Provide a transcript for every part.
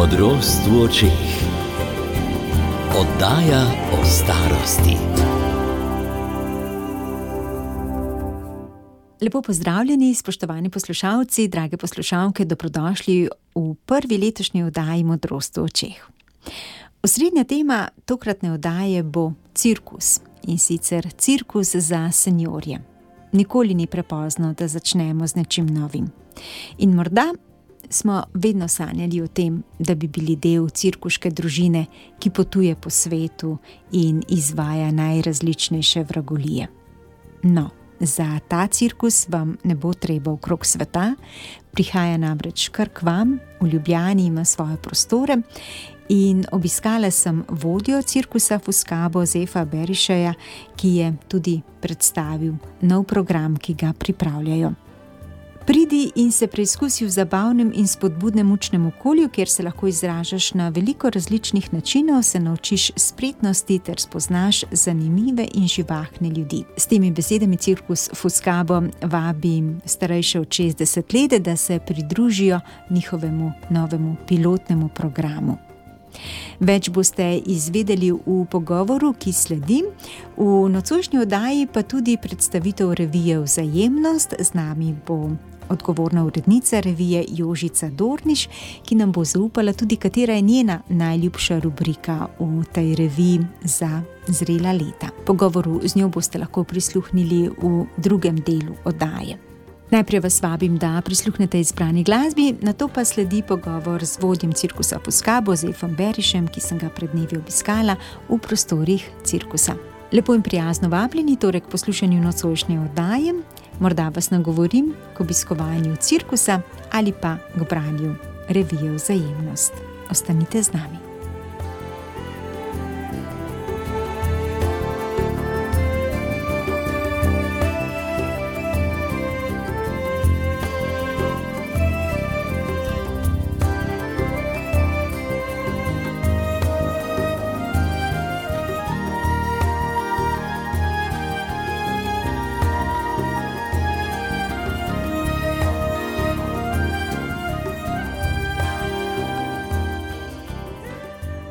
Modrost v očeh. Oddaja o starosti. Lepo pozdravljeni, spoštovani poslušalci, drage poslušalke, dobrodošli v prvi letošnji oddaji Modrost v očeh. Osrednja tema tokratne oddaje bo cirkus, in sicer cirkus za seniorje. Nikoli ni prepozno, da začnemo z nečim novim. In morda smo vedno sanjali o tem, da bi bili del cirkuške družine, ki potuje po svetu in izvaja najrazličnejše vragolije. No, za ta cirkus vam ne bo treba okrog sveta, prihaja namreč kar k vam, v Ljubljani ima svoje prostore in obiskala sem vodjo cirkusa Fuscabo Zefa Berišeja, ki je tudi predstavil nov program, ki ga pripravljajo. Pridi in se preizkusi v zabavnem in spodbudnem učnem okolju, kjer se lahko izražaš na veliko različnih načinov, se naučiš spretnosti ter spoznaš zanimive in živahne ljudi. S temi besedami cirkus Fuscabo vabi starejše od 60 let, da se pridružijo njihovemu novemu pilotnemu programu. Več boste izvedeli v pogovoru, ki sledi. V nocojšnji oddaji pa tudi predstavitev revije Vzajemnost. Z nami bo odgovorna urednica revije Jožica Dorniš, ki nam bo zaupala tudi, katera je njena najljubša rubrika v tej reviji za zrela leta. Pogovoru z njo boste lahko prisluhnili v drugem delu oddaje. Najprej vas vabim, da prisluhnete izbrani glasbi, nato pa sledi pogovor z vodjem cirkusa Fuscabo Zefom Berišem, ki sem ga pred dnevi obiskala v prostorih cirkusa. Lepo in prijazno vabljeni torej k poslušanju nocojšnje oddaje. Morda vas nagovorim k obiskovanju cirkusa ali pa k branju revije Vzajemnost. Ostanite z nami.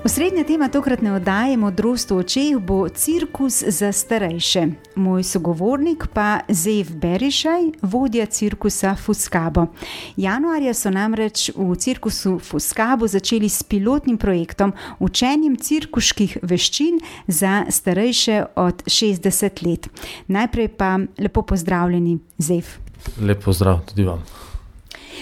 Osrednja tema tokratne oddaje Modrost v očeh bo cirkus za starejše. Moj sogovornik pa Zef Berišej, vodja cirkusa Fuscabo. Januarja so namreč v cirkusu Fuscabo začeli s pilotnim projektom učenjem cirkuških veščin za starejše od 60 let. Najprej pa lepo pozdravljeni, Zef. Lep pozdrav tudi vam.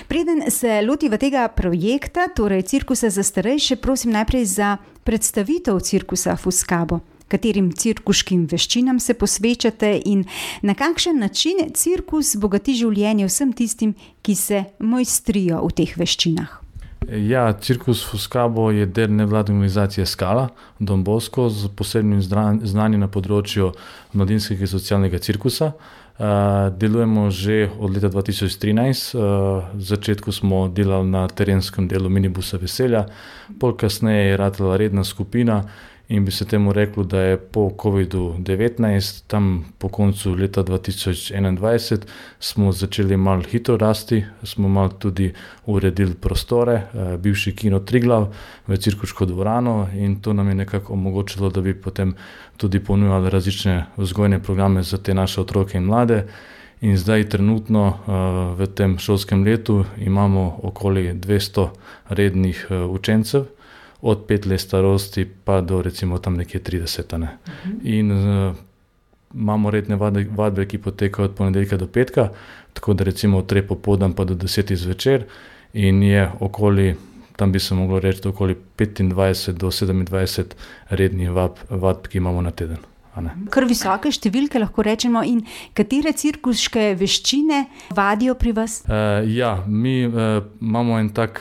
Preden se lotiva tega projekta, torej cirkusa za starejše, prosim najprej za predstavitev cirkusa Fuscabo. Katerim cirkuškim veščinam se posvečate in na kakšen način cirkus bogati življenje vsem tistim, ki se mojstrijo v teh veščinah? Ja, cirkus Fuscabo je del nevladne organizacije Skala Don Bosco z posebnim znanjem na področju mladinskega in socialnega cirkusa. Delujemo že od leta 2013, v začetku smo delali na terenskem delu minibusa Veselja, pol kasneje je ratala redna skupina in bi se temu reklo, da je po COVID-19, tam po koncu leta 2021, smo začeli malo hitro rasti, smo malo tudi uredili prostore, bivši kino Triglav v cirkuško dvorano in to nam je nekako omogočilo, da bi potem tudi ponujali različne vzgojne programe za te naše otroke in mlade. In zdaj trenutno v tem šolskem letu imamo okoli 200 rednih učencev, od 5 let starosti pa do recimo tam nekje 30. Ne. In imamo redne vadbe, ki potekajo od ponedeljka do petka, tako da recimo od 3 popoldan pa do 10 zvečer in je okoli, tam bi se moglo reči, okoli 25 do 27 rednih vadb, ki imamo na teden. Kar visoke številke lahko rečemo. In katere cirkuške veščine vadijo pri vas? Mi imamo en tak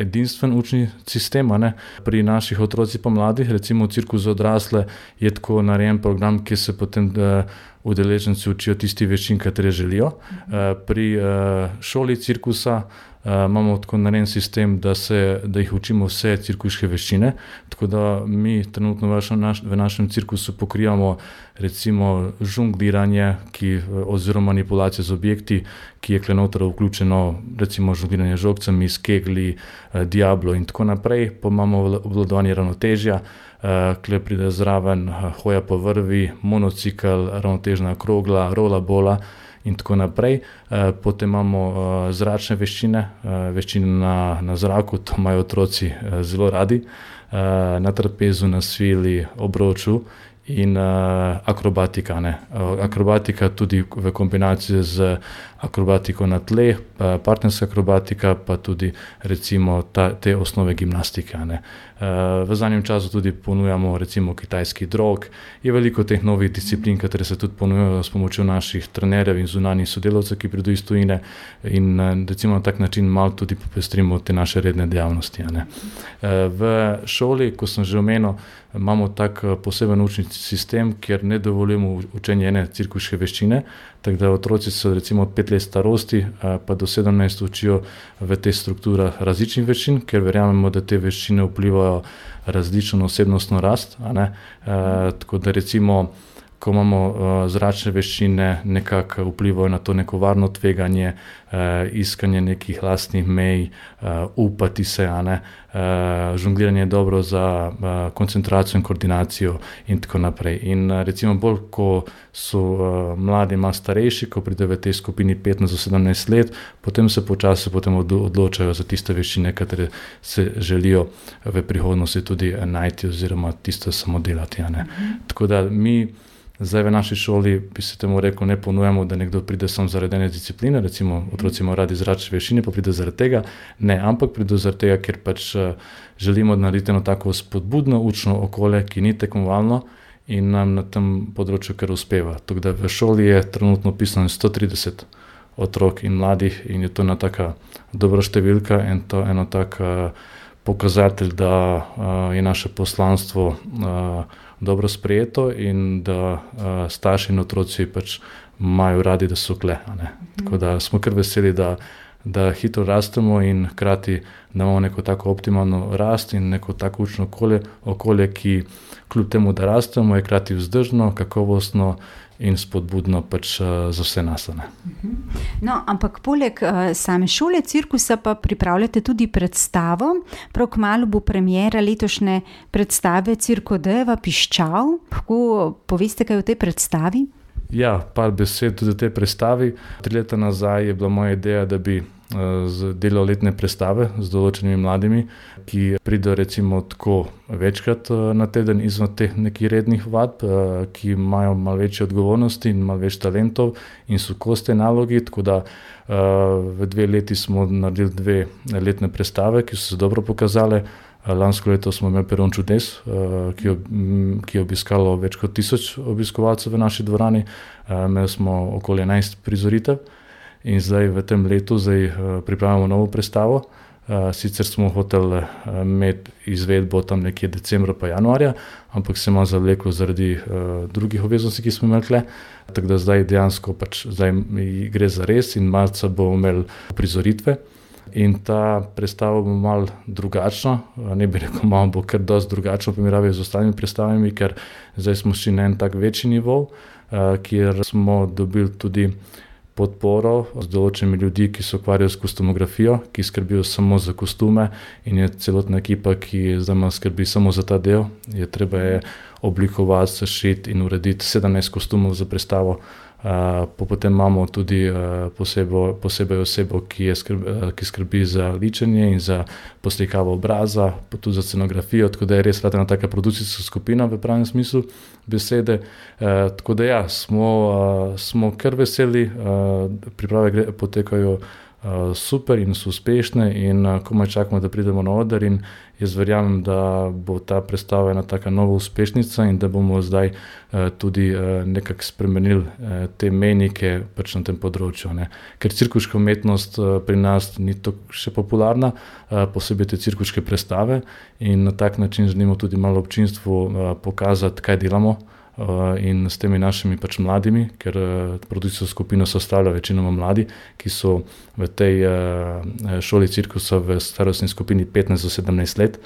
edinstven učni sistem, pri naših otrocih pa mladih. Recimo v cirkus za odrasle je tako narejen program, ki se potem udeleženci učijo tisti veščin, katere želijo. Pri šoli cirkusa imamo tako narejen sistem, da jih učimo vse cirkuške veščine, tako da mi trenutno v našem cirkusu pokrivamo recimo žongliranje oziroma manipulacijo z objekti, ki je noter vključeno recimo žongliranje z žogcami, s kegli, diablo in tako naprej, pa imamo obvladovanje ravnotežja, kjer pride zraven hoja po vrvi, monocikl, ravnotežna krogla, rollerbola in tako naprej. Potem imamo zračne veščine, veščine na zraku, to imajo otroci zelo radi, na trapezu, na svili, obroču in akrobatika. Akrobatika tudi v kombinaciji z akrobatiko na tleh, partnerska akrobatika, pa tudi recimo te osnove gimnastike. V zadnjem času tudi ponujamo recimo kitajski drog. Je veliko teh novih disciplin, katere se tudi ponujajo s pomočjo naših trenerjev in zunanjih sodelavcev, ki pridejo iz tujine in recimo na tak način malo tudi popestrimo te naše redne dejavnosti. V šoli, ko sem že omenil, imamo tak poseben učni sistem, kjer ne dovoljujemo učenje ene cirkuške veščine, tako da otroci so recimo od 5 let starosti pa do 17 učijo v teh strukturah različnih veščin, ker verjamemo, da te veščine vplivajo različno na osebnostno rast. Tako da recimo, ko imamo zračne veščine, nekako vplivajo na to neko varno tveganje, iskanje nekih lastnih mej, upati se, žongliranje je dobro za koncentracijo in koordinacijo in tako naprej. In recimo bolj, ko so mladi malo starejši, ko pridejo v tej skupini 15 do 17 let, potem se počasi odločajo za tiste veščine, katere se želijo v prihodnosti tudi najti oziroma tisto samo delati. Tako da mi zdaj v naši šoli, bi se temu rekel, ne ponujamo, da nekdo pride samo zaradi ene discipline, recimo otroci imajo radi zračne veščine, pa pride zaradi tega, ne, ampak pride zaradi tega, ker pač želimo narediti eno tako spodbudno učno okolje, ki ni tekmovalno in nam na tem področju kar uspeva. Tako da v šoli je trenutno pisano 130 otrok in mladih in je to ena taka dobra številka in to eno tak pokazatelj, da je naše poslanstvo dobro sprejeto in da starši in otroci pač imajo radi, da so kle. Tako da smo kar veseli, da hitro rastemo in hkrati da imamo neko tako optimalno rast in neko tako učno okolje, ki kljub temu, da rastemo, je hkrati vzdržno, kakovostno in spodbudno pač za vse nas. No, ampak poleg same šole cirkusa pa pripravljate tudi predstavo. Prav kmalu bo premiera letošnje predstave Cirkodejeva Piščal. Lahko poveste kaj o tej predstavi? Ja, par besed tudi o tej predstavi. 3 leta nazaj je bila moja ideja, da bi delal letne predstave z določenimi mladimi, ki pridejo recimo tako večkrat na teden izven teh nekih rednih vadb, ki imajo malo večje odgovornosti in malo več talentov in so koste nalogi, tako da v 2 leti smo naredili 2 letne predstave, ki so se dobro pokazale. Lansko leto smo imeli Peron čudes, ki je obiskalo več kot 1000 obiskovalcev v naši dvorani. Imeli smo okoli 11 prizoritev. In zdaj v tem letu pripravljamo novo predstavo. Sicer smo hoteli imeti izvedbo tam nekje decembra pa januarja, ampak se malo zavleklo zaradi drugih obveznosti, ki smo imeli tukaj. Tako da zdaj dejansko zdaj gre za res in marca bomo imeli prizoritve. In ta predstava bo malo drugačna, ne bi rekel, malo bo kar dosti drugačno v primerjavi z ostalimi predstavami, ker zdaj smo šli na en tak večji nivo, kjer smo dobili tudi podporo z določenimi ljudi, ki se ukvarjajo s kostumografijo, ki skrbijo samo za kostume in je celotna ekipa, ki zdaj skrbi samo za ta del. Treba je oblikovati, sešiti in urediti 17 kostumov za predstavo. Potem imamo tudi posebej osebo, ki skrbi za ličenje in za poslikavo obraza, pa tudi za scenografijo, tako da je res ena taka produkcijska skupina v pravem smislu besede. Tako da ja, smo kar veseli, priprave potekajo super in so uspešne in komaj čakamo, da pridemo na oder in jaz verjamem, da bo ta predstava ena taka nova uspešnica in da bomo zdaj tudi nekako spremenili te mejnike pač na tem področju. Ker cirkuška umetnost pri nas ni tako še popularna, posebej te cirkuške predstave in na tak način želimo tudi malo občinstvu pokazati, kaj delamo in s temi našimi pač mladimi, ker produkcijsko skupino sestavlja večinoma mladi, ki so v tej šoli cirkusa v starostni skupini 15 do 17 let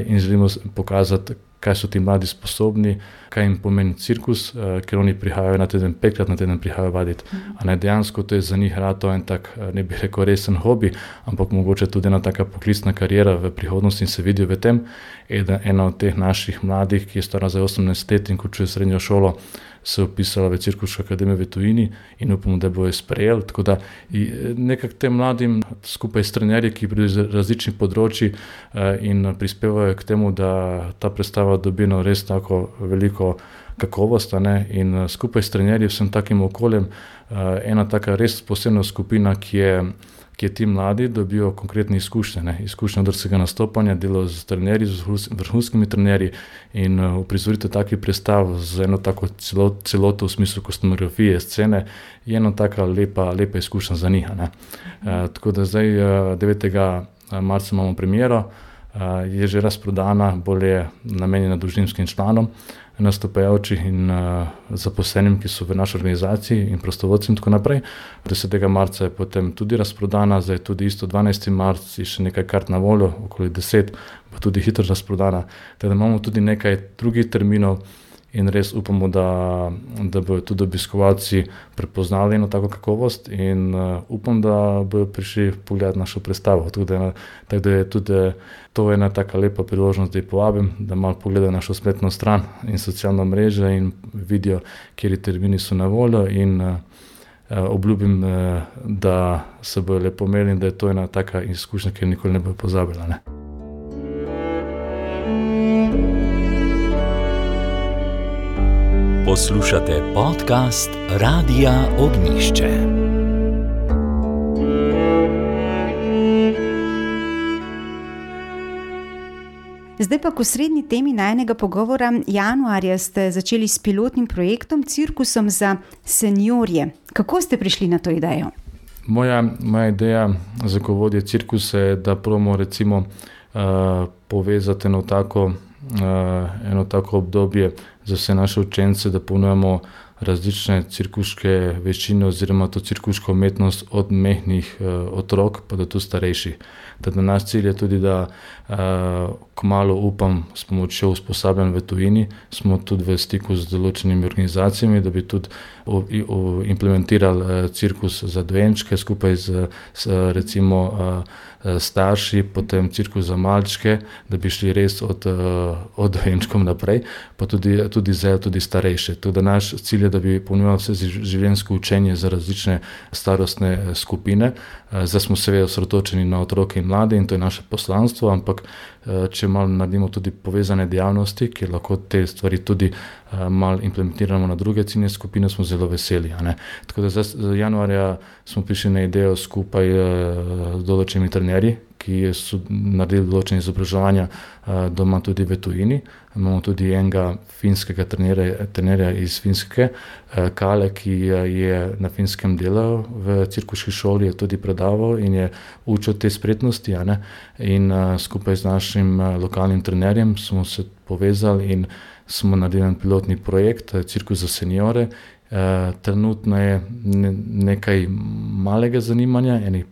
in želimo pokazati, kaj so ti mladi sposobni, kaj jim pomeni cirkus, ker oni prihajajo na teden, 5-krat na teden prihajajo vaditi. Dejansko to je za njih rato en tak, ne bi rekel, resen hobi, ampak mogoče tudi ena taka poklicna kariera v prihodnosti in se vidijo v tem. Ena od teh naših mladih, ki je stara za 18 let in končuje srednjo šolo, se upisala v Cirkuško akademijo v tujini in upamo, da bo jo sprejel. Tako da nekako tem mladim skupaj s trenerji, ki pridejo iz različnih področji in prispevajo k temu, da ta predstava dobi res tako veliko kakovost, in skupaj s trenerji, vsem takim okoljem, ena taka res posebna skupina, ki ti mladi dobijo konkretne izkušnje, izkušnje drugega nastopanja, delo z trenerji, z vrhunskimi trenerji in uprizoritev takih predstav z eno tako celoto v smislu kostumografije, scene, je ena taka lepa izkušnja za njih. Tako da zdaj 9. marca imamo premiero, je že razprodana, bolj je namenjena družinskim članom, nastopajočih in zaposlenim, ki so v naši organizaciji in prostovoljcem in tako naprej. 10. marca je potem tudi razprodana, zdaj tudi isto 12. marc je še nekaj kart na voljo, okoli 10, pa tudi hitro razprodana. Teda imamo tudi nekaj drugih terminov in res upamo, da bodo tudi obiskovalci prepoznali eno tako kakovost in upam, da bodo prišli pogledati našo predstavo. Tako da je tudi to ena taka lepa priložnost, da jih povabim, da malo pogledajo našo spletno stran in socialno mrežo in vidijo, kateri termini so na voljo in obljubim, da se bojo lepo imeli in da je to ena taka izkušnja, ki nikoli ne bojo pozabila. Poslušate podcast Radia Ognjišče. Zdaj pa k osrednji temi najinega pogovora. Januarja ste začeli s pilotnim projektom Cirkusom za seniorje. Kako ste prišli na to idejo? Moja ideja za ko vodje cirkusa je, da probamo recimo povezati eno tako obdobje za vse naše učence, da ponujemo različne cirkuške veščine oziroma to cirkuško umetnost od mehkih otrok pa do tu starejših. Teda naš cilj je tudi, da kmalu upam s pomočjo usposabljanj v tujini, smo tudi v stiku z določenimi organizacijami, da bi tudi implementirali cirkus za dojenčke skupaj z recimo starši, potem cirkus za malčke, da bi šli res od dojenčkov naprej, pa tudi starejše. Tudi naš cilj je, da bi ponujali vse življenjsko učenje za različne starostne skupine. Zdaj smo seveda osredotočeni na otroke in mlade in to je naše poslanstvo, ampak če malo naredimo tudi povezane dejavnosti, ki lahko te stvari tudi malo implementiramo na druge ciljne skupine, smo zelo veseli. Tako da zdaj januarja smo prišli na idejo skupaj z določenimi trenerji, ki so naredili določene izobraževanja doma tudi v tujini. Imamo tudi enega finskega trenerja iz Finske, Kale, ki je na Finskem delal v cirkuški šoli, je tudi predaval in je učil te spretnosti. In skupaj z našim lokalnim trenerjem smo se povezali in smo naredili pilotni projekt Cirkus za seniore. Trenutno je nekaj malega zanimanja, enih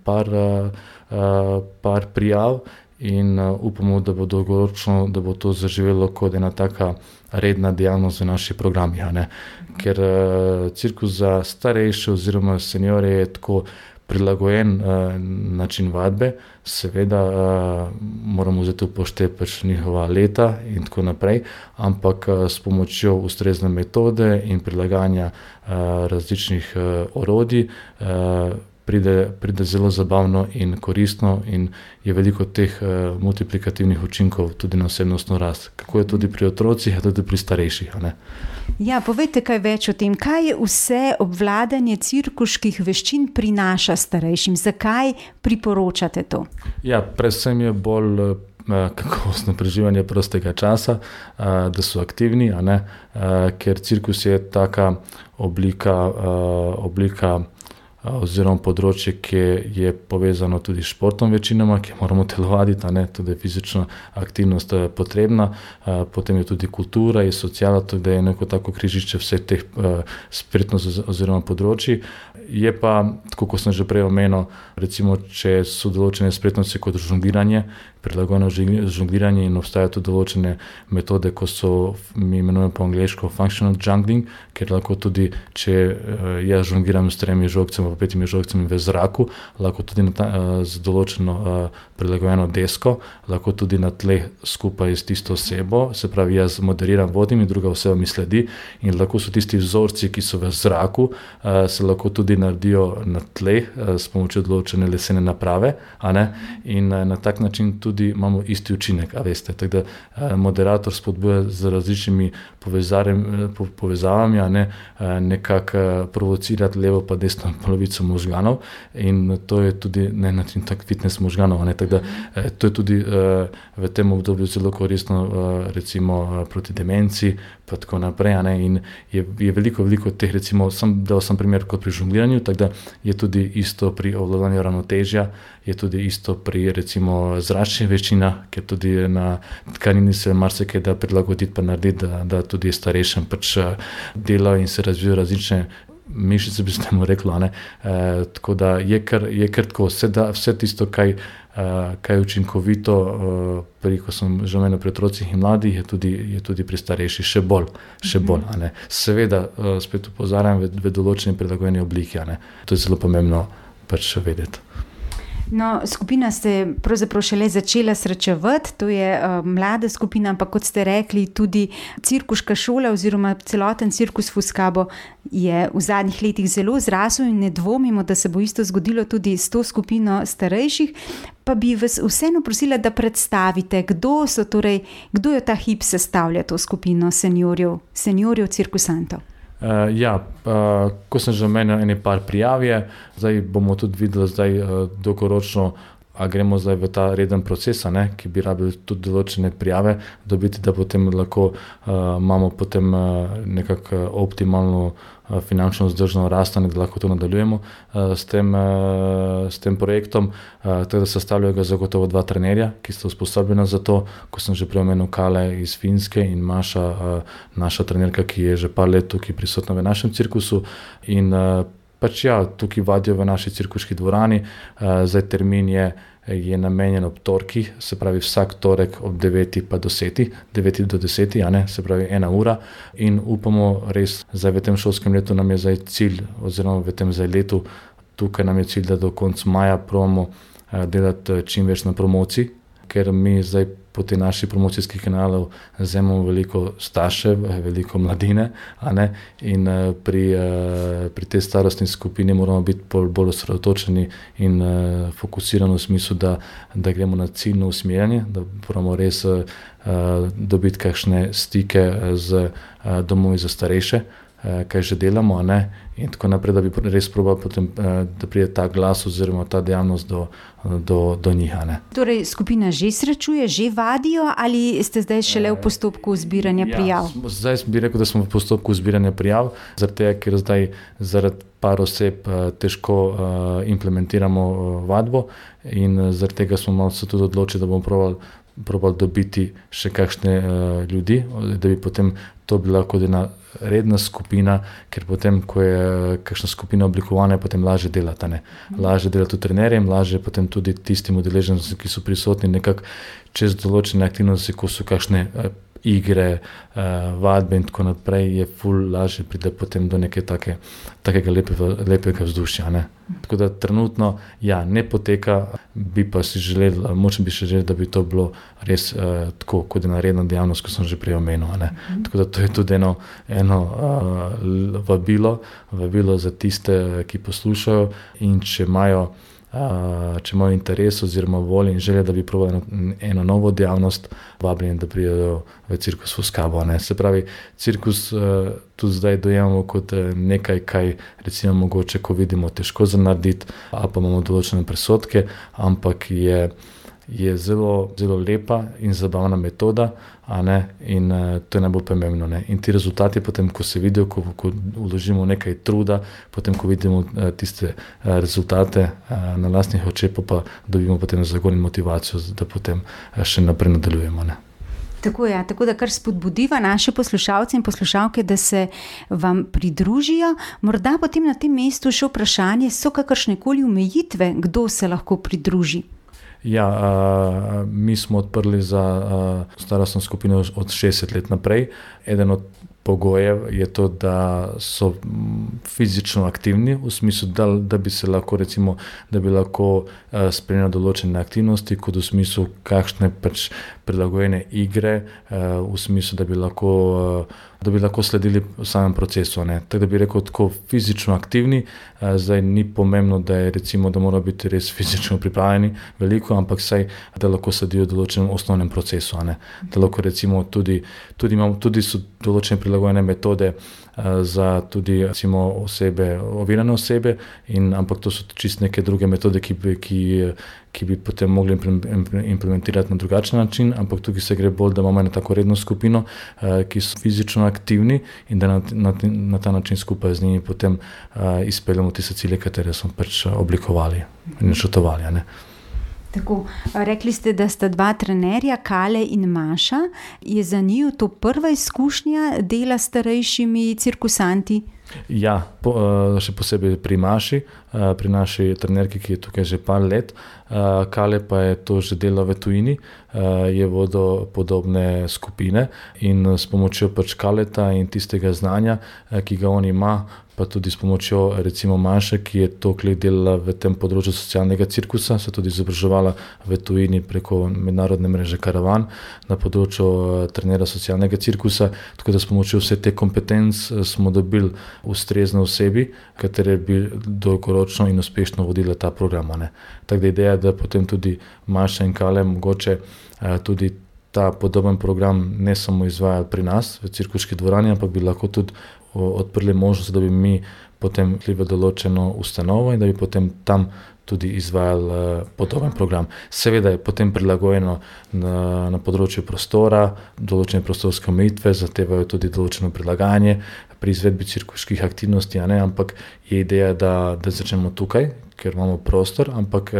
par prijav in upamo, da bo dolgoročno, da bo to zaživelo kot ena taka redna dejavnost v naših programih. Ker cirkus za starejše oziroma seniore je tako prilagojen način vadbe, seveda moramo vzeti upoštevati njihova leta in tako naprej, ampak s pomočjo ustrezne metode in prilagajanja različnih orodij pride zelo zabavno in koristno in je veliko teh multiplikativnih učinkov tudi na osebnostno rast. Kako je tudi pri otrocih, a tudi pri starejših. Ja, povejte kaj več o tem, kaj vse obvladanje cirkuških veščin prinaša starejšim, zakaj priporočate to? Ja, predvsem je bolj kakovostno preživljanje prostega časa, da so aktivni, ker cirkus je taka oblika oziroma področje, ki je povezano tudi s športom večinoma, ki moramo telovaditi, tudi fizična aktivnost potrebna, potem je tudi kultura in sociala, tudi je neko tako križišče vseh teh spretnosti oziroma področji. Je pa, tako kot sem že prej omenil, recimo, če so določene spretnosti kot žongliranje, prilagojeno žongliranje in obstajajo tudi določene metode, ko so, mi imenujemo po angleško functional jungling, ker lahko tudi, če jaz žongliram s 3 žogcami pa 5 žogcami v zraku, lahko tudi z določeno prilagojeno desko, lahko tudi na tleh skupaj s tisto osebo, se pravi, jaz moderiram, vodim in druga oseba mi sledi in lahko so tisti vzorci, ki so v zraku, se lahko tudi naredijo na tleh s pomočjo določene lesene naprave, in na tak način tudi imamo isti učinek, veste. Tako da moderator spodbuja z različnimi povezavami, nekako provocirati levo pa desno polovico možganov in to je tudi na način tak fitness možganov, tako da to je tudi v tem obdobju zelo koristno, recimo proti demenci pa tako naprej, in je veliko teh, recimo, dal sem primer kot pri žongliranju, tako da je tudi isto pri obvladovanju ravnotežja, je tudi isto pri, recimo, zračnih veščinah, ker tudi na tkanini se marsikaj da prilagoditi pa narediti, da tudi starejšem pač delajo in se razvijajo različne mišice, bi se temu reklo, tako da je kar tako, vse tisto, kaj je učinkovito, ko sem že omenil pri otrocih in mladih, je tudi pri starejših še bolj. Seveda, spet opozarjam v določeni prilagojeni obliki, to je zelo pomembno pač vedeti. No, skupina ste pravzaprav šele začela srečevati, to je mlada skupina, ampak kot ste rekli, tudi cirkuška šola oziroma celoten cirkus Fuskabo je v zadnjih letih zelo zrasel in ne dvomimo, da se bo isto zgodilo tudi s to skupino starejših. Pa bi vas vseeno prosila, da predstavite, kdo jo ta hip sestavlja, to skupino seniorjev cirkusantov. Ko sem že omenil, ene par prijav je, zdaj bomo tudi videli dolgoročno, a gremo zdaj v ta reden proces, ki bi rabili tudi določene prijave dobiti, da potem lahko imamo potem nekako optimalno finančno vzdržno rast, da lahko to nadaljujemo s tem projektom. Tako da sestavljajo ga zagotovo 2 trenerja, ki sta usposobljena za to, ko sem že prej omenil Kale iz Finske in Maša, naša trenerka, ki je že par let tukaj prisotna v našem cirkusu in tukaj vadijo v naši cirkuški dvorani. Zdaj termin je namenjen ob torkih, se pravi vsak torek ob 9 pa do 10, 9 do 10, se pravi 1 ura in upamo res, zdaj v tem šolskem letu nam je zdaj cilj, oziroma v tem zdaj letu, tukaj nam je cilj, da do konca maja probamo delati čim več na promociji, ker mi zdaj po te naših promocijskih kanalov vzemamo veliko staršev, veliko mladine, in pri tej starostni skupini moramo biti bolj osredotočeni in fokusirani v smislu, da gremo na ciljno usmerjanje, da moramo res dobiti kakšne stike z domovi za starejše, kaj že delamo, in tako naprej, da bi res probali potem, da pride ta glas oziroma ta dejavnost do njih. Torej, skupina že srečuje, že vadijo ali ste zdaj šele v postopku zbiranja prijav? Zdaj bi rekel, da smo v postopku zbiranja prijav, zaradi tega, ker zdaj zaradi par oseb težko implementiramo vadbo in zaradi tega smo malo se tudi odločili, da bomo probali dobiti še kakšne ljudi, da bi potem to bila kot ena redna skupina, ker potem, ko je kakšna skupina oblikovana, je potem lažje delati. Lažje delati tudi trenerjem, lažje potem tudi tistim udeležencem, ki so prisotni nekako čez določene aktivnosti, ko so kakšne igre, vadbe in tako naprej, je ful lažje pride potem do neke takega lepega vzdušja. Tako da trenutno ne poteka, bi pa si želeli, močno bi še želeli, da bi to bilo res tako kot ena redna dejavnost, kot sem že prej omenil. Tako da to je tudi eno vabilo za tiste, ki poslušajo in če imajo interes oziroma voljo in želje, da bi probali eno novo dejavnost, vabljeni, da pridejo v cirkus Fuskabo. Se pravi, cirkus tudi zdaj dojemamo kot nekaj, kaj recimo mogoče, ko vidimo, težko za narediti, ali pa imamo določene predsodke, ampak je je zelo, zelo lepa in zabavna metoda, in to je najbolj pomembno. In ti rezultati potem, ko se vidijo, ko vložimo nekaj truda, potem, ko vidimo tiste rezultate na lastnih očeh, pa dobimo potem zagon in motivacijo, da potem še naprej nadaljujemo. Tako da kar spodbudiva naše poslušalce in poslušalke, da se vam pridružijo. Morda potem na tem mestu še vprašanje, so kakršnekoli omejitve, kdo se lahko pridruži? Ja, mi smo odprli za starostno skupino od 60 let naprej. Eden od pogojev je to, da so fizično aktivni, v smislu, da bi se lahko, recimo, da bi lahko spremljali določene aktivnosti, kot v smislu kakšne pač prilagojene igre, v smislu, da bi lahko sledili v samem procesu. Tako da bi rekel, tako fizično aktivni, zdaj ni pomembno, da je recimo, da mora biti res fizično pripravljeni veliko, ampak saj, da lahko sledijo določenem osnovnem procesu. Da lahko recimo tudi so določene prilagojene metode za tudi recimo ovirane osebe, ampak to so čisto neke druge metode, ki bi potem mogli implementirati na drugačen način, ampak tukaj se gre bolj, da imamo eno tako redno skupino, ki so fizično aktivni in da na ta način skupaj z njimi potem izpeljemo tiste cilje, katere smo pač oblikovali in načrtovali. Tako, rekli ste, da sta dva trenerja, Kale in Maša. Je za njih to prva izkušnja dela s starejšimi cirkusanti? Ja, še posebej pri Maši, pri naši trenerki, ki je tukaj že par let. Kale pa je to že delal v tujini, je vodil podobne skupine in s pomočjo pač Kaleta in tistega znanja, ki ga on ima, pa tudi s pomočjo recimo Maše, ki je toliko let delala v tem področju socialnega cirkusa, se tudi izobraževala v tujini preko mednarodne mreže Karavan na področju trenera socialnega cirkusa, tako da s pomočjo vse te kompetenc smo dobili ustrezne osebi, katere bi dolgoročno in uspešno vodile ta program. Tako da ideja, da potem tudi Maša in Kale mogoče tudi ta podoben program ne samo izvajali pri nas v cirkuški dvorani, ampak bi lahko tudi odprli možnost, da bi mi potem šli v določeno ustanovo in da bi potem tam tudi izvajali podoben program. Seveda je potem prilagojeno na področju prostora, določene prostorske omejitve, zahtevajo tudi določeno prilagajanje pri izvedbi cirkuških aktivnosti, ampak je ideja, da začnemo tukaj, ker imamo prostor, ampak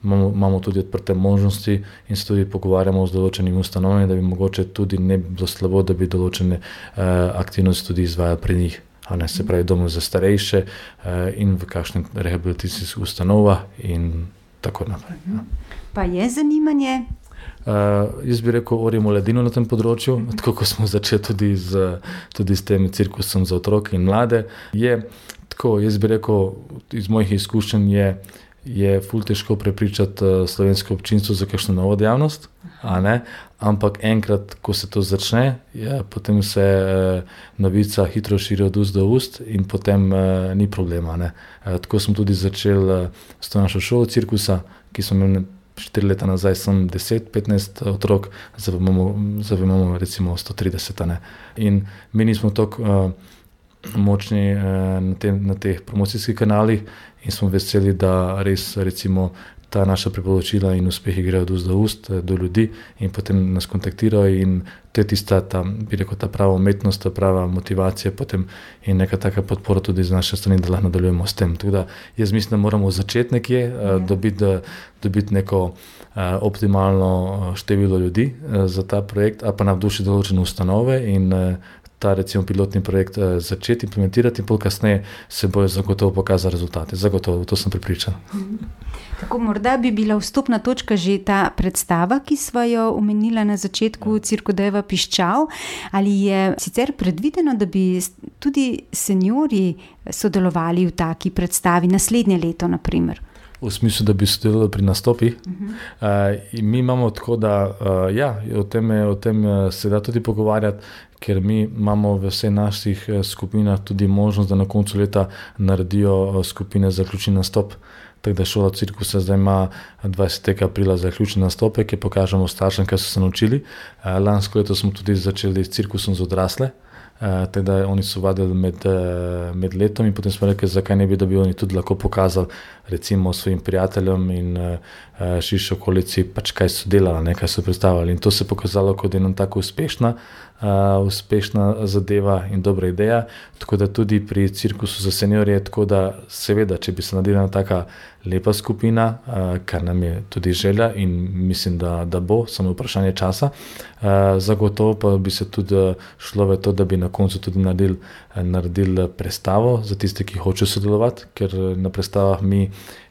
imamo tudi odprte možnosti in se tudi pogovarjamo z določenimi ustanovami, da bi mogoče tudi ne bilo slabo, da bi določene aktivnosti tudi izvajali pri njih. Se pravi, domov za starejše in v kakšnih rehabilitacijskih ustanovah in tako naprej. Pa je zanimanje? Jaz bi rekel, orimo ledino na tem področju, tako kot smo začeli tudi s tem cirkusom za otroke in mlade. Tako, jaz bi rekel, iz mojih izkušenj je ful težko prepričati slovensko občinstvo za kakšno novo dejavnost, ampak enkrat, ko se to začne, potem se novica hitro širi od ust do ust in potem ni problema. Tako smo tudi začeli s to našo šolo cirkusa, ki smo imeli 4 leta nazaj, sem 10-15 otrok, zdaj imamo recimo 130. In mi nismo toliko močni na teh promocijskih kanalih in smo veseli, da res recimo ta naša priporočila in uspehi grejo od ust do ust do ljudi in potem nas kontaktirajo in to je tista, bi rekel, ta prava umetnost, ta prava motivacija potem in neka taka podpora tudi z naše strani, da lahko nadaljujemo s tem. Tako da jaz mislim, da moramo začeti nekje, dobiti neko optimalno število ljudi za ta projekt, a pa navdušiti določene ustanove in ta recimo pilotni projekt začeti implementirati in pol kasneje se bojo zagotovo pokazali rezultate. Zagotovo, to sem prepričan. Tako, morda bi bila vstopna točka že ta predstava, ki sva jo omenila na začetku, Cirkodeva Piščal. Ali je sicer predvideno, da bi tudi seniori sodelovali v taki predstavi naslednje leto, na primer? V smislu, da bi sodelovali pri nastopih. Mi imamo tako, da o tem se da tudi pogovarjati, ker mi imamo v vseh naših skupinah tudi možnost, da na koncu leta naredijo skupine za zaključni nastop. Tako da šola cirkusa zdaj ima 20. aprila zaključni nastope, ki pokažemo staršem, kaj so se naučili. Lansko leto smo tudi začeli s cirkusom za odrasle, tako da oni so vadili med letom in potem smo rekli, zakaj ne bi, da bi oni tudi lahko pokazali recimo svojim prijateljem in širši okolici, pač kaj so delali, kaj so predstavljali. In to se je pokazalo kot ena tako uspešna zadeva in dobra ideja, tako da tudi pri cirkusu za seniorje, tako da seveda, če bi se naredila taka lepa skupina, kar nam je tudi želja in mislim, da bo, samo vprašanje časa, zagotovo pa bi se tudi šlo v to, da bi na koncu tudi naredili predstavo za tiste, ki hočejo sodelovati, ker na predstavah mi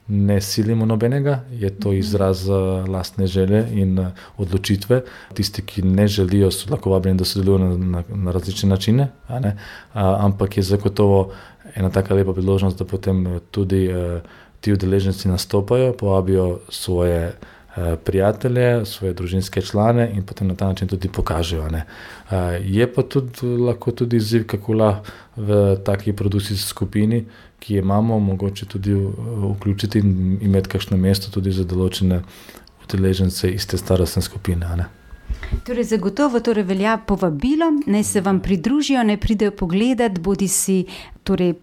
ne silimo nobenega, je to izraz lastne želje in odločitve. Tisti, ki ne želijo, so lahko vabljeni, da sodelujo na različne načine, ampak je zagotovo ena taka lepa priložnost, da potem tudi ti udeleženci nastopajo, povabijo svoje prijatelje, svoje družinske člane in potem na ta način tudi pokažejo. Je pa tudi lahko tudi izziv, kako lahko v taki produkcijski skupini, ki jo imamo, mogoče tudi vključiti in imeti kakšno mesto tudi za določene udeležence iz te starostne skupine. Torej, zagotovo velja povabilo, naj se vam pridružijo, naj pridejo pogledati, bodisi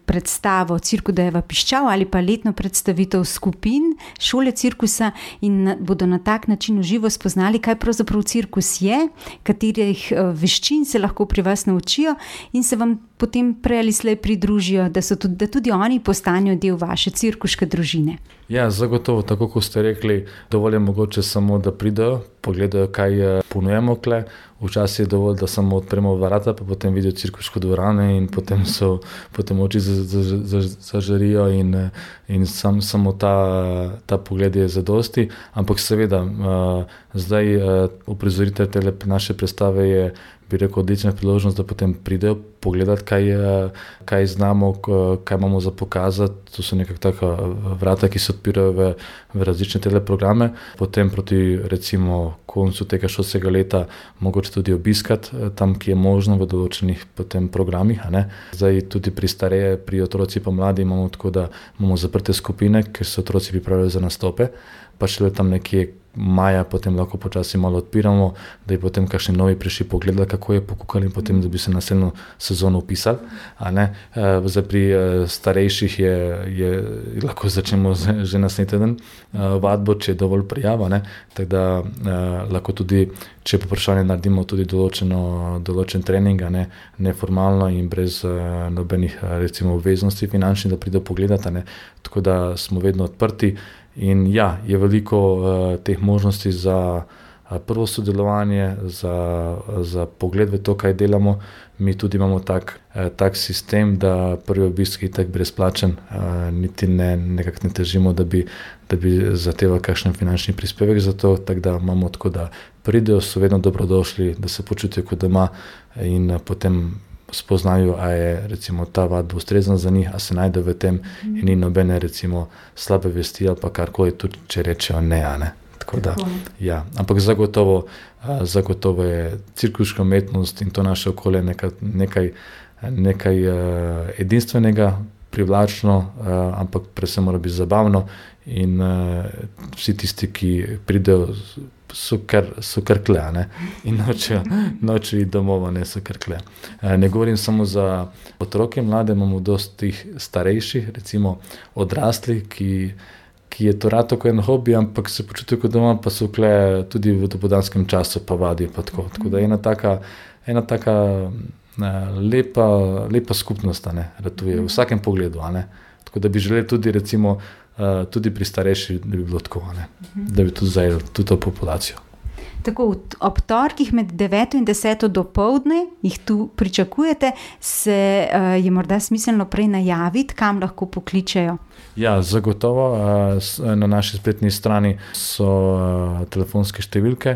predstavo Cirkudejeva piščal ali pa letno predstavitev skupin šole cirkusa in bodo na tak način v živo spoznali, kaj pravzaprav cirkus je, katerih veščin se lahko pri vas naučijo in se vam potem prej ali slej pridružijo, da tudi oni postanejo del vaše cirkuške družine. Ja, zagotovo, tako kot ste rekli, dovolj je mogoče samo, da pridejo, pogledajo, kaj ponujemo kle. Včasih je dovolj, da samo odpremo vrata, pa potem vidijo cirkuško dvorano in potem oči zažarijo in samo ta pogled je zadosti. Ampak seveda, zdaj uprizoritev te naše predstave je, bi rekel, odlična priložnost, da potem pridejo pogledati, kaj znamo, kaj imamo za pokazati. To so nekako taka vrata, ki se odpirajo v različne teleprograme. Potem proti recimo koncu tega šolskega leta mogoče tudi obiskati tam, ki je možno v določenih potem programih. Zdaj tudi pri otroci pa mladi imamo tako, da imamo zaprte skupine, ker se otroci pripravljajo za nastope, pa šele tam nekje maja potem lahko počasi malo odpiramo, da je potem kakšni novi prišli pogledali, kako je pokukali in potem, da bi se naslednjo sezono upisali. Zdaj pri starejših je lahko začnemo že naslednji teden vadbo, če je dovolj prijava, tako da lahko tudi, če je vprašanje, naredimo tudi določen trening, neformalno in brez nobenih recimo obveznosti finančnih, da pridejo pogledati, tako da smo vedno odprti. In ja, je veliko teh možnosti za prvo sodelovanje, za pogled v to, kaj delamo. Mi tudi imamo tak sistem, da prvi obisk je tak brezplačen, niti nekako ne težimo, da bi zahtevali kakšen finančni prispevek za to, tako da imamo tako, da pridejo, so vedno dobrodošli, da se počutijo kot doma in potem spoznajo, a je recimo ta vadba ustrezna za njih, a se najde v tem in ni nobene recimo slabe vesti ali pa karkoli, tudi če rečejo ne. Tako da, ja. Ampak zagotovo je cirkuška umetnost in to naše okolje nekaj edinstvenega, privlačno, ampak predvsem mora biti zabavno in vsi tisti, ki pridejo, so kar kle, in nočejo iti domov, so kar kle. Ne govorim samo za otroke, mlade, imamo dosti starejših, recimo odrasli, ki je to rado kot en hobi, ampak se počutijo kot doma, pa so kle tudi v dopoldanskem času, pa vadijo pa tako. Tako da ena taka lepa skupnost, ratuje v vsakem pogledu, tako da bi želeli tudi recimo tudi pri starejših, da bi bilo tako, da bi tudi zajeli tudi to populacijo. Tako, ob torkih med 9 in 10 dopoldne jih tu pričakujete, se je morda smiselno prej najaviti, kam lahko pokličejo? Ja, zagotovo. Na naši spletni strani so telefonske številke,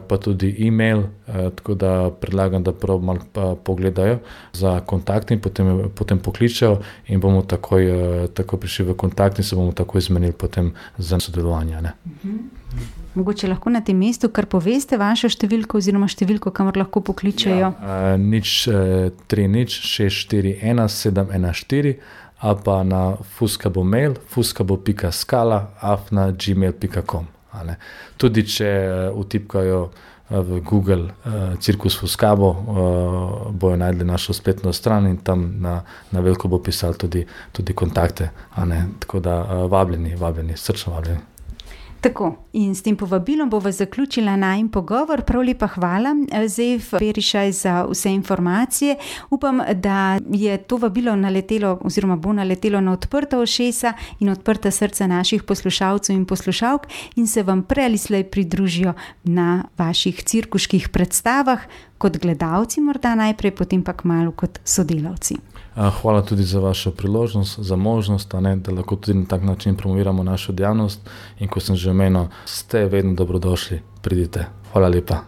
pa tudi e-mail, tako da predlagam, da prav malo pogledajo za kontakt in potem pokličejo in bomo takoj prišli v kontakt in se bomo takoj izmenili potem za sodelovanje. Mogoče lahko na tem mestu kar poveste vašo številko oziroma številko, kamor lahko pokličejo? 030 641 714 ali pa na fuskabo mail fuskabo.skala@gmail.com. Tudi če vtipkajo v Google Cirkus Fuskabo, bojo najdli našo spletno stran in tam na veliko bo pisal tudi kontakte. Tako da vabljeni, srčno vabljeni. Tako, in s tem povabilom bova zaključila najin pogovor. Prav lepa hvala, Zef Perišaj, za vse informacije. Upam, da je to vabilo naletelo oziroma bo naletelo na odprta ušesa in odprta srca naših poslušalcev in poslušalk in se vam prej ali slej pridružijo na vaših cirkuških predstavah, kot gledalci morda najprej, potem pa kmalu kot sodelavci. Hvala tudi za vašo priložnost, za možnost, da lahko tudi na tak način promoviramo našo dejavnost in ko sem že omenil, ste vedno dobrodošli, pridite. Hvala lepa.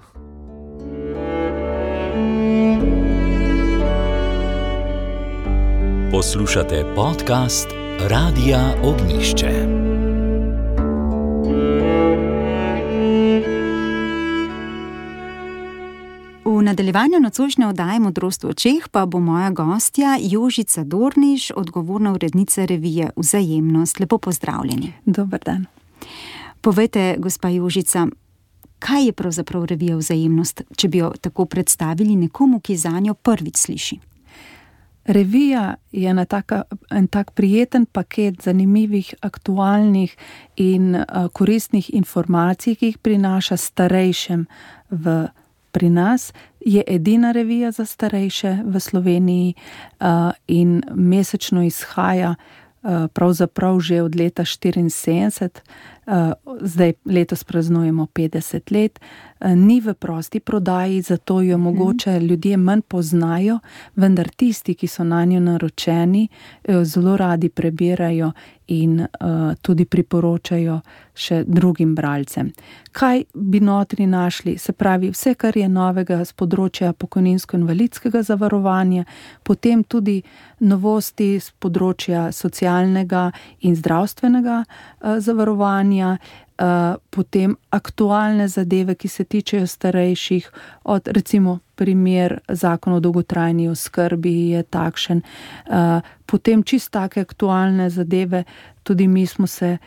Poslušate podcast Radia Ognjišče. V nadaljevanju nocojšnje oddaje Modrost v očeh pa bo moja gostja Jožica Dorniš, odgovorna urednica revije Vzajemnost. Lepo pozdravljeni. Dober dan. Povejte, gospa Jožica, kaj je pravzaprav revija Vzajemnost, če bi jo tako predstavili nekomu, ki zanjo prvič sliši? Revija je en tak prijeten paket zanimivih, aktualnih in koristnih informacij, ki jih prinaša starejšim pri nas. Je edina revija za starejše v Sloveniji in mesečno izhaja pravzaprav že od leta 1974. Zdaj letos praznujemo 50 let. Ni v prosti prodaji, zato jo mogoče ljudje manj poznajo, vendar tisti, ki so nanjo naročeni, jo zelo radi prebirajo in tudi priporočajo še drugim bralcem. Kaj bi notri našli? Se pravi, vse, kar je novega z področja pokojninsko-invalidskega zavarovanja, potem tudi novosti z področja socialnega in zdravstvenega zavarovanja, potem aktualne zadeve, ki se tičejo starejših, od recimo primer Zakon o dolgotrajni oskrbi je takšen, potem čisto take aktualne zadeve, tudi mi smo se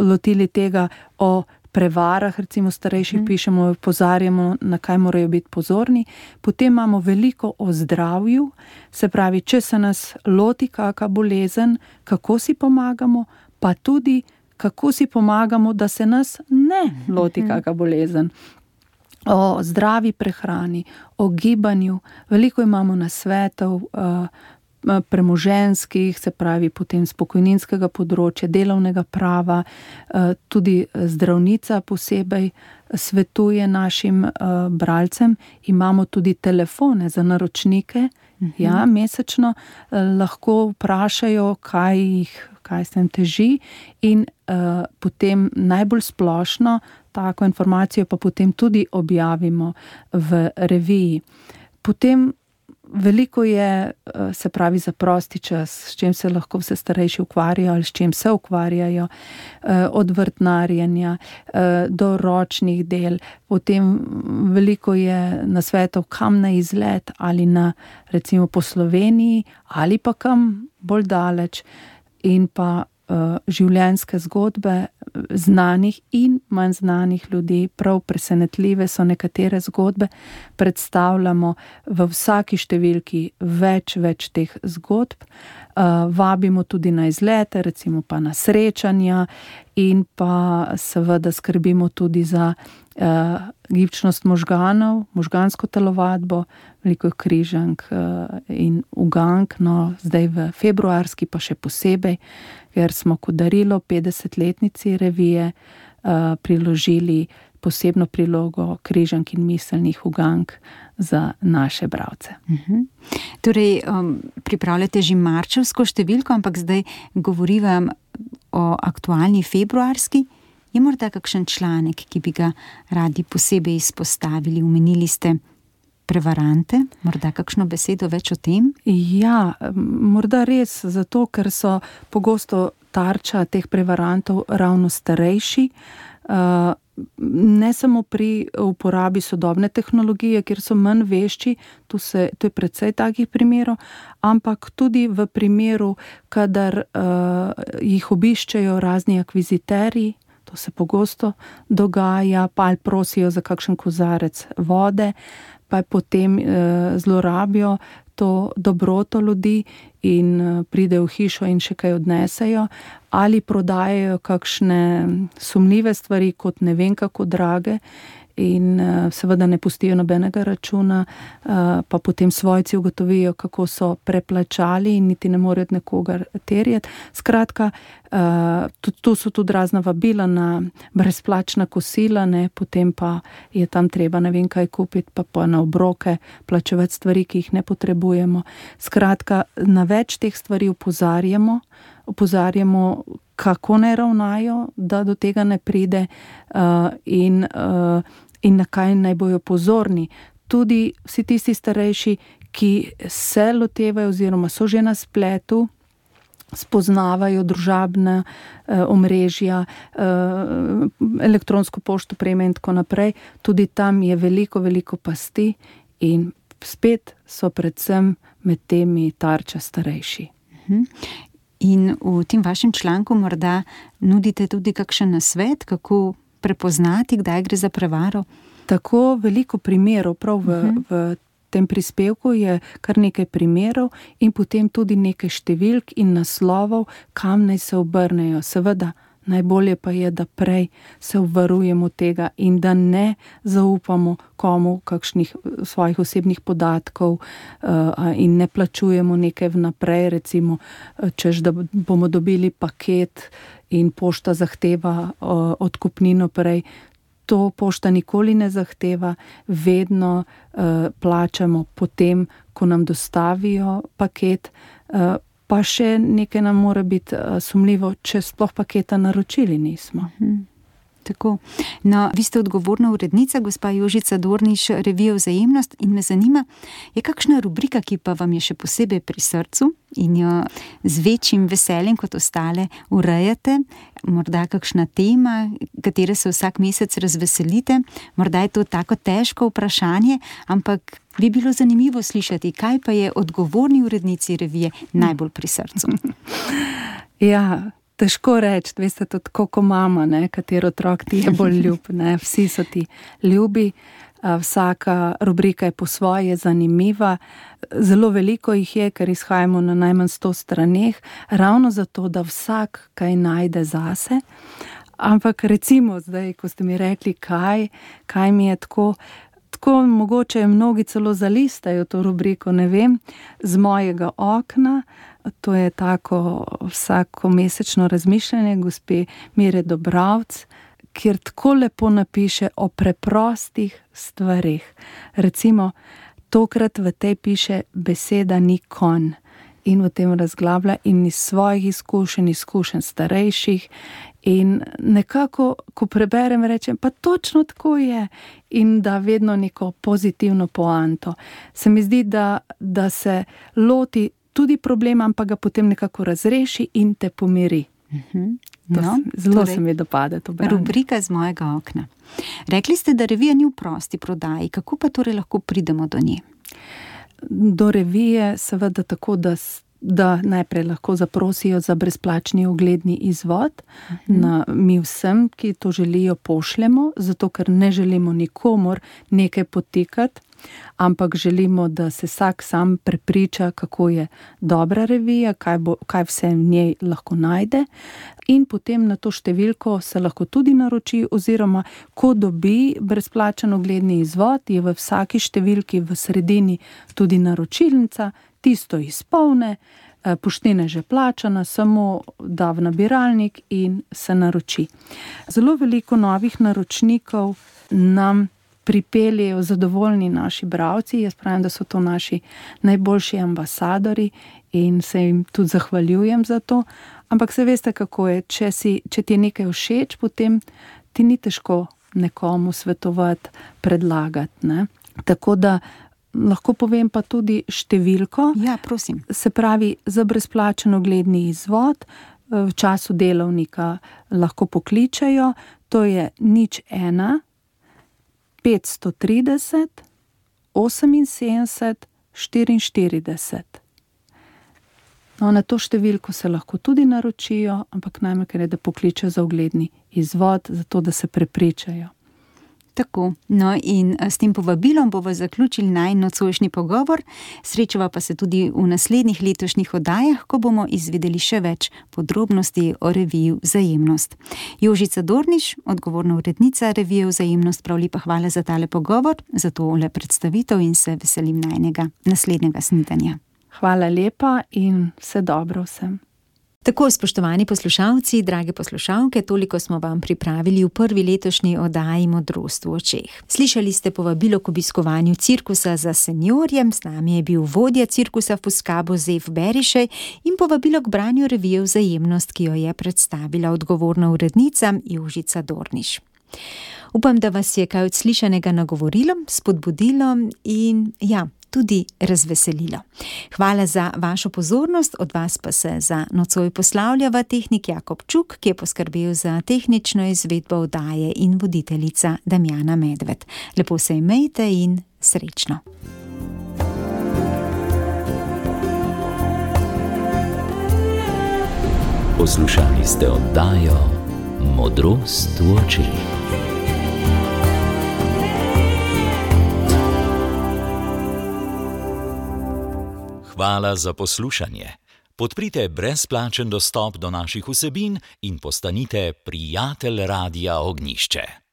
lotili tega o prevarah, recimo starejših pišemo, opozarjamo, na kaj morajo biti pozorni. Potem imamo veliko o zdravju, se pravi, če se nas loti kakšna bolezen, kako si pomagamo, pa tudi kako si pomagamo, da se nas ne loti kakšna bolezen. O zdravi prehrani, o gibanju, veliko imamo nasvetov, premoženjskih, se pravi potem z pokojninskega področja, delovnega prava, tudi zdravnica posebej svetuje našim bralcem. Imamo tudi telefone za naročnike, mesečno lahko vprašajo, kaj se jim teži, in potem najbolj splošno tako informacijo pa potem tudi objavimo v reviji. Potem veliko je, se pravi, za prosti čas, s čim se lahko vse starejši ukvarjajo ali s čim se ukvarjajo, od vrtnarjenja do ročnih del. Potem veliko je nasvetov, kam na izlet, ali na recimo po Sloveniji ali pa kam bolj daleč, in pa življenjske zgodbe znanih in manj znanih ljudi. Prav presenetljive so nekatere zgodbe, predstavljamo v vsaki številki več teh zgodb. Vabimo tudi na izlete, recimo pa na srečanja, in pa seveda skrbimo tudi za gibčnost možganov, možgansko telovadbo, veliko križank in ugank, zdaj v februarski pa še posebej, ker smo kot darilo 50-letnici revije priložili posebno prilogo križank in miselnih ugank za naše bralce. Torej, pripravljate že marčevsko številko, ampak zdaj govoriva o aktualni februarski. Je morda kakšen članek, ki bi ga radi posebej izpostavili? Omenili ste prevarante, morda kakšno besedo več o tem? Ja, morda res, zato ker so pogosto tarča teh prevarantov ravno starejši, ne samo pri uporabi sodobne tehnologije, kjer so manj vešči, to je precej takih primerov, ampak tudi v primeru, kadar jih obiščejo razni akviziterji, To se pogosto dogaja, pa ali prosijo za kakšen kozarec vode, pa potem zlorabijo to dobroto ljudi in pridejo v hišo in še kaj odnesejo, ali prodajajo kakšne sumljive stvari kot ne vem kako drage in seveda ne pustijo nobenega računa, pa potem svojci ugotovijo, kako so preplačali in niti ne morejo od nekoga terjati. Skratka, tu so tudi razna vabila na brezplačna kosila, potem pa je tam treba ne vem kaj kupiti, pa na obroke plačevati stvari, ki jih ne potrebujemo. Skratka, na več teh stvari opozarjamo, kako ne ravnajo, da do tega ne pride in na kaj naj bojo pozorni. Tudi vsi tisti starejši, ki se lotevajo oziroma so že na spletu, spoznavajo družabna omrežja, elektronsko pošto prejme in tako naprej. Tudi tam je veliko pasti in spet so predvsem med temi tarča starejši. In v tem vašem članku morda nudite tudi kakšen nasvet, kako prepoznati, kdaj gre za prevaro? Tako veliko primerov, prav v tem prispevku je kar nekaj primerov in potem tudi nekaj številk in naslovov, kam naj se obrnejo. Seveda, najbolje pa je, da prej se obvarujemo tega in da ne zaupamo komu kakšnih svojih osebnih podatkov in ne plačujemo nekaj vnaprej, recimo, češ da bomo dobili paket in pošta zahteva odkupnino prej. To pošta nikoli ne zahteva, vedno plačamo potem, ko nam dostavijo paket, pa še nekaj nam mora biti sumljivo, če sploh paketa naročili nismo. Tako. No, vi ste odgovorna urednica, gospa Jožica Dorniš, revije Vzajemnost, in me zanima, je kakšna rubrika, ki pa vam je še posebej pri srcu in jo z večjim veseljem kot ostale urejate, morda kakšna tema, katere se vsak mesec razveselite, morda je to tako težko vprašanje, ampak bi bilo zanimivo slišati, kaj pa je odgovorni urednici revije najbolj pri srcu. Ja, težko reči, veste, to tako kot mama, katero otrok ti je bolj ljub, vsi so ti ljubi, vsaka rubrika je po svoje zanimiva, zelo veliko jih je, ker izhajamo na najmanj 100 straneh, ravno zato, da vsak kaj najde zase, ampak recimo zdaj, ko ste mi rekli, kaj mi je tako mogoče mnogi celo zalistajo to rubriko, ne vem, z mojega okna. To je tako vsakomesečno razmišljanje gospe Mire Dobravc, kjer tako lepo napiše o preprostih stvareh. Recimo, tokrat v tej piše beseda ni konj in v tem razglablja in iz svojih izkušenj starejših in nekako, ko preberem, rečem, pa točno tako je in da vedno neko pozitivno poanto. Se mi zdi, da se loti tudi problema, ampak ga potem nekako razreši in te pomiri. Zelo se mi dopade to branje. Rubrika z mojega okna. Rekli ste, da revija ni v prosti prodaji. Kako pa torej lahko pridemo do nje? Do revije seveda tako, da najprej lahko zaprosijo za brezplačni ogledni izvod. Mi vsem, ki to želijo, pošljemo, zato ker ne želimo nikomur nekaj potikati, ampak želimo, da se vsak sam prepriča, kako je dobra revija, kaj vse v njej lahko najde in potem na to številko se lahko tudi naroči oziroma ko dobi brezplačen ogledni izvod, je v vsaki številki v sredini tudi naročilnica, tisto izpolne, poštena že plačana, samo da v nabiralnik in se naroči. Zelo veliko novih naročnikov nam pripeljejo zadovoljni naši bralci, jaz pravim, da so to naši najboljši ambasadori in se jim tudi zahvaljujem za to, ampak se veste, kako je, če ti je nekaj všeč, potem ti ni težko nekomu svetovati, predlagati, Tako da lahko povem pa tudi številko. Ja, prosim. Se pravi, za brezplačen ogledni izvod v času delovnika lahko pokličejo, to je 01 530 78 44. No, na to številko se lahko tudi naročijo, ampak najmanj, ker je, da pokličejo za ogledni izvod, zato da se prepričajo. Tako, no in s tem povabilom bomo zaključili najin nocojšnji pogovor, srečava pa se tudi v naslednjih letošnjih oddajah, ko bomo izvedeli še več podrobnosti o reviji Vzajemnost. Jožica Dorniš, odgovorna urednica revije Vzajemnost, prav lepa hvala za tale pogovor, za tole predstavitev in se veselim najinega naslednjega snidenja. Hvala lepa in vse dobro vsem. Tako, spoštovani poslušalci, drage poslušalke, toliko smo vam pripravili v prvi letošnji oddaji Modrost v očeh. Slišali ste povabilo k obiskovanju cirkusa za seniorje, z nami je bil vodja cirkusa Fuskabo Zef Berišej in povabilo k branju revije Vzajemnost, ki jo je predstavila odgovorna urednica Jožica Dorniš. Upam, da vas je kaj od slišanega nagovorilo, spodbudilo in tudi razveselilo. Hvala za vašo pozornost, od vas pa se za nocoj poslavljava tehnik Jakob Čuk, ki je poskrbel za tehnično izvedbo oddaje in voditeljica Damjana Medved. Lepo se imejte in srečno. Poslušali ste oddajo Modrost v očeh. Hvala za poslušanje. Podprite brezplačen dostop do naših vsebin in postanite prijatelj Radia Ognjišče.